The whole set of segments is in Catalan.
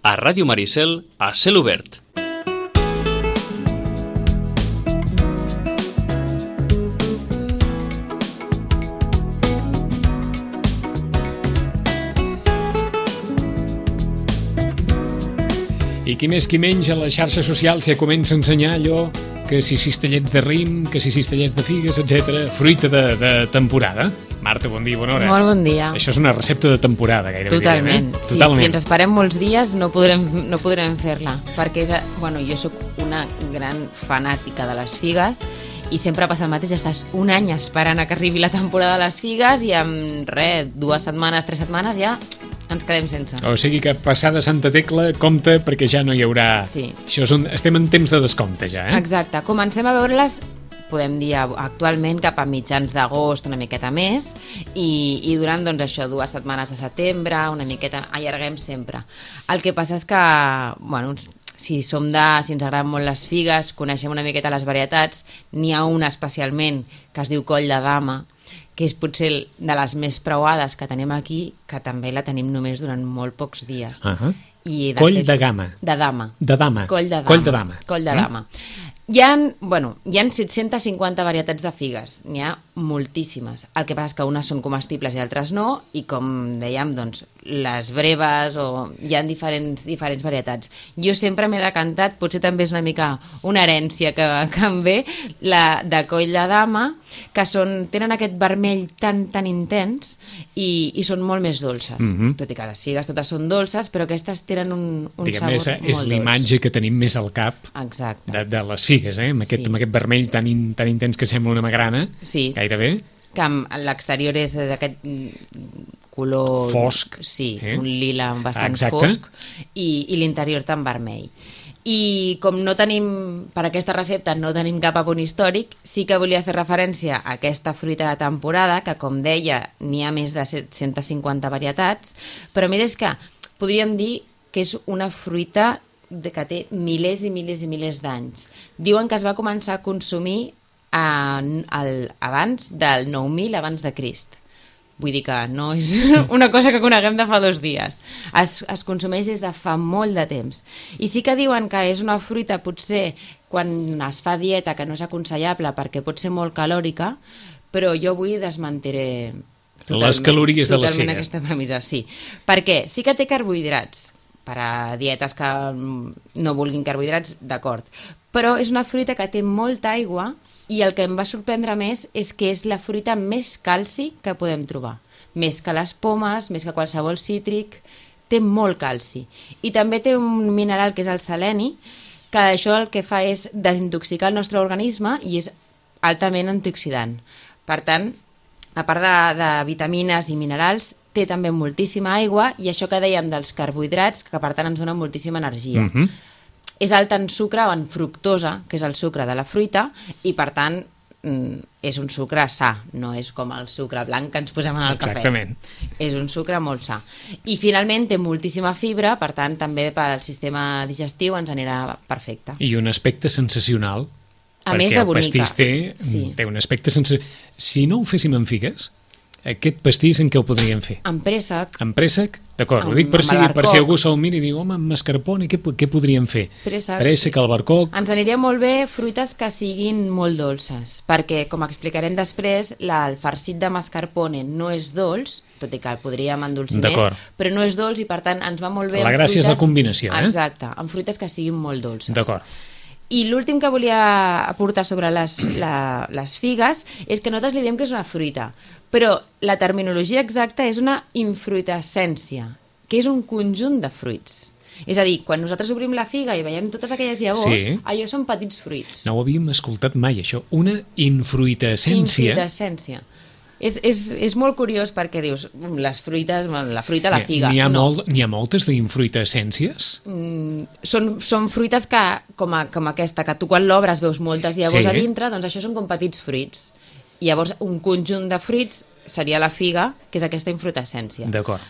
A Ràdio Maricel, a cel obert. I qui més qui menys a les xarxes socials ja comença a ensenyar allò que si cistellets de raïm, que si cistellets de figues, etc. Fruita de temporada. Marta, bon dia, bona hora. Molt bon dia. Això és una recepta de temporada, gairebé. Totalment. Direm, Sí, si ens esperem molts dies no podrem fer-la, perquè jo sóc una gran fanàtica de les figues i sempre passa el mateix, estàs un any esperant que arribi la temporada de les figues i en 2 setmanes, 3 setmanes ja ens quedem sense. O sigui que passada Santa Tecla, compte, perquè ja no hi haurà... Sí. Estem en temps de descompte ja, eh? Exacte. Comencem a veure-les, podem dir actualment, cap a mitjans d'agost, una miqueta més, i durant, doncs, això, 2 setmanes de setembre, una miqueta, allarguem sempre. El que passa és que, bueno, si ens agraden molt les figues, coneixem una miqueta les varietats, n'hi ha una especialment que es diu Coll de Dama, que és potser de les més preuades que tenim aquí, que també la tenim només durant molt pocs dies. Coll de Gama. De Dama. De Dama. Coll de Dama. Coll de Dama. Coll de Dama. Hi ha 750 varietats de figues, n'hi ha moltíssimes. El que passa és que unes són comestibles i altres no, i com dèiem, doncs, les breves hi ha diferents varietats. Jo sempre m'he decantat, potser també és una mica una herència que em ve, la de Coll de Dama, que tenen aquest vermell tan intens i són molt més dolces. Tot i que les figues totes són dolces, però aquestes tenen un sabor molt dolç. És l'imatge que tenim més al cap de les figues, amb aquest vermell tan intens que sembla una magrana, gairebé. Que l'exterior és d'aquest color... Fosc. Sí, un lila bastant fosc, i l'interior tan vermell. I com no tenim, per aquesta recepta no tenim cap apunt històric, sí que volia fer referència a aquesta fruita de temporada, que com deia n'hi ha més de 750 varietats, però a més és que podríem dir que és una fruita que té milers i milers i milers d'anys. Diuen que es va començar a consumir abans del 9.000 abans de Crist. Vull dir que no és una cosa que coneguem de fa 2 dies. Es consumeix des de fa molt de temps. I sí que diuen que és una fruita, potser, quan es fa dieta, que no és aconsellable perquè pot ser molt calòrica, però jo avui desmentiré les calories de les figues. Aquesta premissa, sí. Perquè sí que té carbohidrats, per a dietes que no vulguin carbohidrats, d'acord. Però és una fruita que té molta aigua i el que em va sorprendre més és que és la fruita més calci que podem trobar. Més que les pomes, més que qualsevol cítric, té molt calci. I també té un mineral que és el seleni, que això el que fa és desintoxicar el nostre organisme i és altament antioxidant. Per tant, a part de vitamines i minerals, té també moltíssima aigua i això que dèiem dels carbohidrats, que per tant ens dona moltíssima energia. És alt en sucre o en fructosa, que és el sucre de la fruita, i per tant és un sucre sa, no és com el sucre blanc que ens posem en el cafè. Exactament. És un sucre molt sa. I finalment té moltíssima fibra, per tant també per al sistema digestiu ens anirà perfecte. I un aspecte sensacional. A més de bonica. Perquè el pastís té un aspecte sensacional. Si no ho féssim amb figues, aquest pastís en què ho podríem fer? En préssec. En préssec? D'acord, ho dic per si algú se'l mira i diu, home, amb mascarpone, què podríem fer? Préssec, albercoc... Ens aniria molt bé fruites que siguin molt dolces, perquè, com explicarem després, el farcit de mascarpone no és dolç, tot i que el podríem endolcir més, però no és dolç i, per tant, ens va molt bé... La gràcia és la combinació, eh? Exacte, amb fruites que siguin molt dolces. D'acord. I l'últim que volia aportar sobre les figues és que nosaltres li diem que és una fruita, però la terminologia exacta és una infruitescència, que és un conjunt de fruits. És a dir, quan nosaltres obrim la figa i veiem totes aquelles llavors, allò són petits fruits. No ho havíem escoltat mai, això. Una infruitescència. Infruitescència. És molt curiós perquè dius, les fruites, la fruita, la figa. N'hi ha moltes d'infruitescències? Són fruites que, com aquesta, que tu quan l'obres veus moltes llavors a dintre, doncs això són com petits fruits. I llavors un conjunt de fruits seria la figa, que és aquesta infruitescència. D'acord.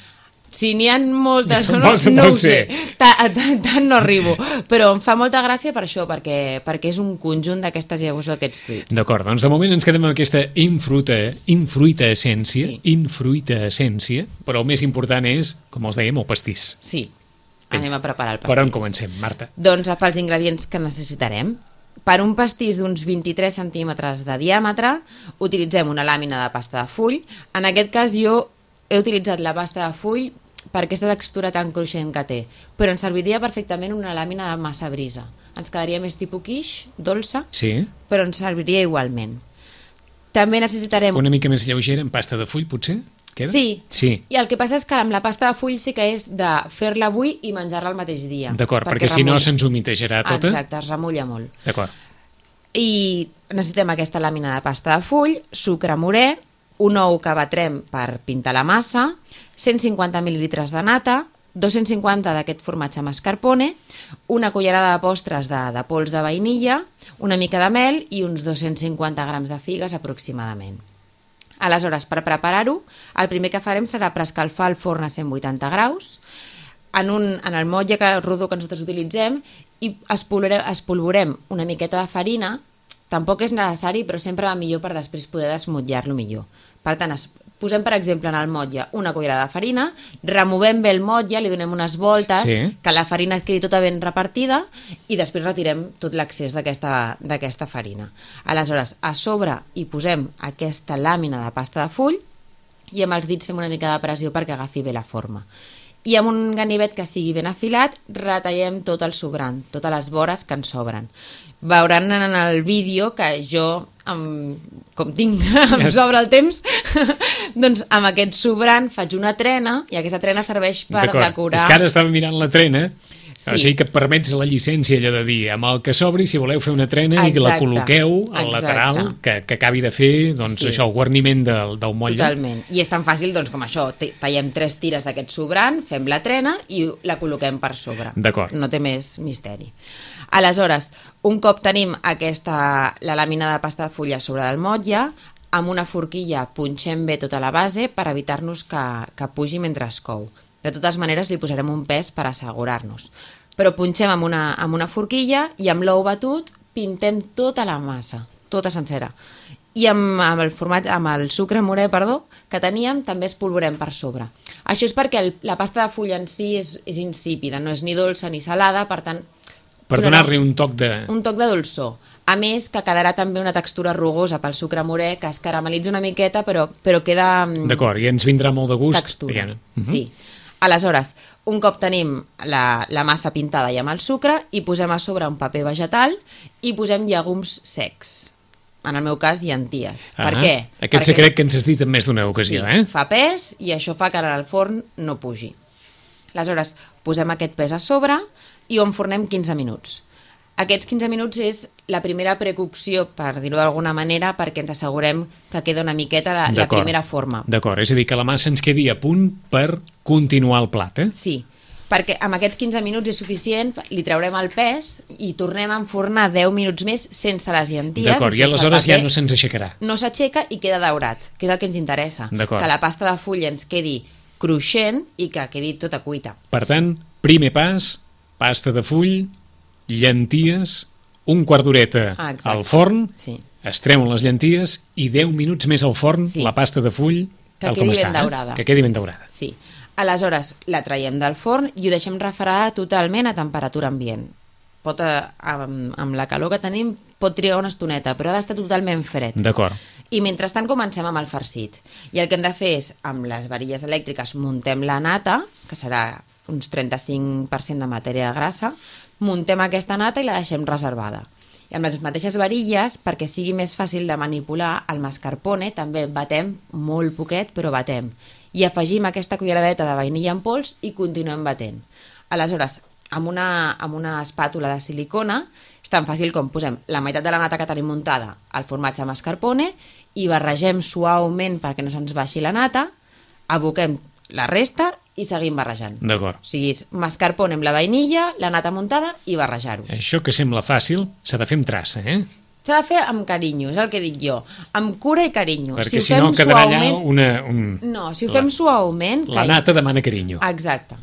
Si n'hi ha moltes o no ho sé, tant no arribo, però em fa molta gràcia per això, perquè és un conjunt d'aquestes llavors d'aquests fruits. D'acord, doncs de moment ens quedem amb aquesta infruitescència, però el més important és, com els dèiem, el pastís. Sí, anem a preparar el pastís. Per on comencem, Marta? Doncs pels ingredients que necessitarem. Per un pastís d'uns 23 centímetres de diàmetre utilitzem una làmina de pasta de full. En aquest cas jo he utilitzat la pasta de full per aquesta textura tan cruixent que té, però ens serviria perfectament una làmina de massa brisa. Ens quedaria més tipus quiche, dolça, Sí. però ens serviria igualment. També necessitarem... Una mica més lleugera en pasta de full, potser? Queda? Sí. Sí. I el que passa és que amb la pasta de full sí que és de fer-la avui i menjar-la el mateix dia. D'acord, perquè si no se'ns humitejarà tota. Exacte, es remulla molt. D'acord. I necessitem aquesta làmina de pasta de full, sucre morè, un ou que batrem per pintar la massa, 150 mil·lilitres de nata, 250 d'aquest formatge mascarpone, una cullerada de postres de pols de vainilla, una mica de mel i uns 250 grams de figues aproximadament. Aleshores, per preparar-ho, el primer que farem serà preescalfar el forn a 180 graus en el motlle rodó que nosaltres utilitzem i espolvorem una miqueta de farina. Tampoc és necessari, però sempre va millor per després poder desmotllar-lo millor. Per tant, posem, per exemple, en el motlle una cullerada de farina, removem bé el motlle, li donem unes voltes, Sí. que la farina quedi tota ben repartida i després retirem tot l'excés d'aquesta farina. Aleshores, a sobre hi posem aquesta làmina de pasta de full i amb els dits fem una mica de pressió perquè agafi bé la forma. I amb un ganivet que sigui ben afilat retallem tot el sobrant, totes les vores que ens sobren. Veuran en el vídeo que jo, com tinc, em sobra el temps, doncs amb aquest sobrant faig una trena i aquesta trena serveix per decorar... És que ara estava mirant la trena, Sí. o sigui que et permets la llicència allò de dir, amb el que sobri, si voleu fer una trena i que la Exacte, col·loqueu al exacte. lateral, que acabi de fer doncs, Sí. això, el guarniment del motlle. Totalment. I és tan fàcil doncs, com això. Tallem 3 tires d'aquest sobrant, fem la trena i la col·loquem per sobre. D'acord. No té més misteri. Aleshores, un cop tenim la làmina de pasta de fulla sobre del motlle, amb una forquilla punxem bé tota la base per evitar-nos que pugi mentre es cou. De totes maneres, li posarem un pes per assegurar-nos. Però punxem amb una forquilla i amb l'ou batut pintem tota la massa, tota sencera. I amb el sucre morè, que teníem, també espolvorem per sobre. Això és perquè la pasta de fulla en si és insípida, no és ni dolça ni salada, per tant... Per donar-li un toc de... Un toc de dolçor. A més, que quedarà també una textura rugosa pel sucre morè, que es caramelitza una miqueta, però queda... D'acord, i ens vindrà molt de gust. Textura, sí. Aleshores, un cop tenim la massa pintada i amb el sucre, hi posem a sobre un paper vegetal i posem llegums secs. En el meu cas, llenties. Per què? Aquest secret que ens has dit en més d'una ocasió, sí, fa pes i això fa que en el forn no pugi. Aleshores, posem aquest pes a sobre i ho enfornem 15 minuts. Aquests 15 minuts és la primera precocció, per dir-ho d'alguna manera, perquè ens assegurem que queda una miqueta la primera forma. D'acord, és a dir, que la massa ens quedi a punt per continuar el plat, eh? Sí, perquè amb aquests 15 minuts és suficient, li traurem el pes i tornem a enfornar 10 minuts més sense les llenties. D'acord, i aleshores ja no se'ns aixecarà. No s'aixeca i queda daurat, que és el que ens interessa. Que la pasta de fulla ens quedi cruixent i que quedi tota cuita. Per tant, primer pas, pasta de full, llenties, un quart d'horeta al forn, es treuen les llenties i 10 minuts més al forn, la pasta de full, tal com està. Que quedi ben daurada. Sí. Aleshores, la traiem del forn i ho deixem refredar totalment a temperatura ambient. Amb la calor que tenim pot trigar una estoneta, però ha d'estar totalment fred. D'acord. I mentrestant comencem amb el farcit. I el que hem de fer és, amb les varilles elèctriques, muntem la nata, que serà uns 35% de matèria grassa, muntem aquesta nata i la deixem reservada. I amb les mateixes varilles, perquè sigui més fàcil de manipular, el mascarpone també batem molt poquet, però batem. I afegim aquesta culleradeta de vainilla en pols i continuem batent. Aleshores, amb una espàtula de silicona, és tan fàcil com posem la meitat de la nata que tenim muntada al formatge mascarpone i barregem suaument perquè no se'ns baixi la nata, aboquem la resta i seguim barrejant. D'acord. O sigui, mascarpone amb la vainilla, la nata muntada i barrejar-ho. Això que sembla fàcil s'ha de fer amb traça, eh? S'ha de fer amb carinyo, és el que dic jo. Amb cura i carinyo. Perquè si no quedarà allà No, si ho fem suaument... La nata demana carinyo. Exacte.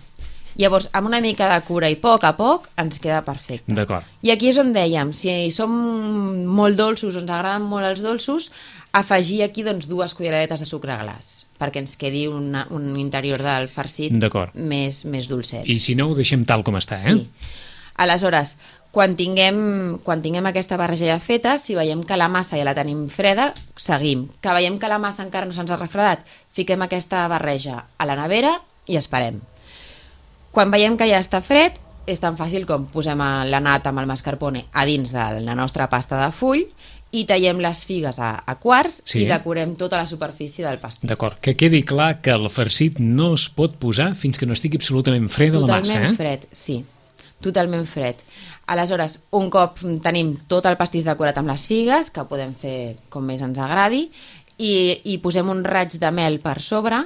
Llavors, amb una mica de cura i a poc ens queda perfecte. D'acord. I aquí és on dèiem, si som molt dolços, ens agraden molt els dolços, afegir aquí 2 culleradetes de sucre glaç, perquè ens quedi un interior del farcit més dolcet. I si no, ho deixem tal com està, eh? Sí. Aleshores, quan tinguem aquesta barreja ja feta, si veiem que la massa ja la tenim freda, seguim. Que veiem que la massa encara no se'ns ha refredat, fiquem aquesta barreja a la nevera i esperem. Quan veiem que ja està fred, és tan fàcil com posem la nata amb el mascarpone a dins de la nostra pasta de full i tallem les figues a quarts i decorem tota la superfície del pastís. D'acord, que quedi clar que el farcit no es pot posar fins que no estigui absolutament freda la massa, Totalment fred, sí. Totalment fred. Aleshores, un cop tenim tot el pastís decorat amb les figues, que podem fer com més ens agradi, i posem un raig de mel per sobre,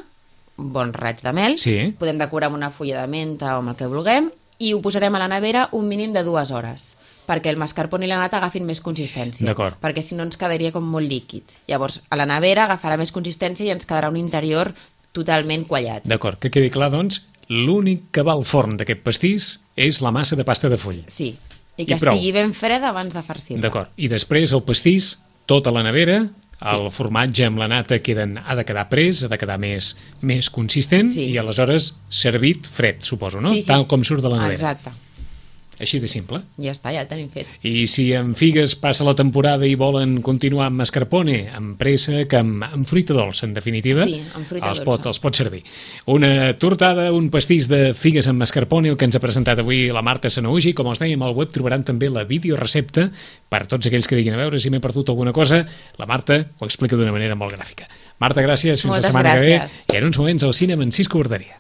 un bon raig de mel, podem decorar amb una fulla de menta o amb el que vulguem, i ho posarem a la nevera un mínim de 2 hores, perquè el mascarpone i la nata agafin més consistència, perquè si no ens quedaria com molt líquid. Llavors, a la nevera agafarà més consistència i ens quedarà un interior totalment quallat. D'acord, que quedi clar, doncs, l'únic que va al forn d'aquest pastís és la massa de pasta de full. Sí, i que estigui ben freda abans de farcir-la. D'acord, i després el pastís, tot a la nevera, el formatge amb la nata ha de quedar pres, ha de quedar més consistent i aleshores servit fred, suposo, no? Tal com surt de la nevera. Exacte. Així de simple. Ja està, ja el tenim fet. I si amb figues passa la temporada i volen continuar amb mascarpone, amb préssec, amb fruita dolça, en definitiva, amb fruita dolça. Els pot servir. Una tortada, un pastís de figues amb mascarpone, el que ens ha presentat avui la Marta Sanahuja, i com els dèiem al web trobaran també la videorecepta per tots aquells que diguin a veure si m'he perdut alguna cosa. La Marta ho explica d'una manera molt gràfica. Marta, gràcies, fins la setmana que ve. I en uns moments al cinema en Cisco Borderia.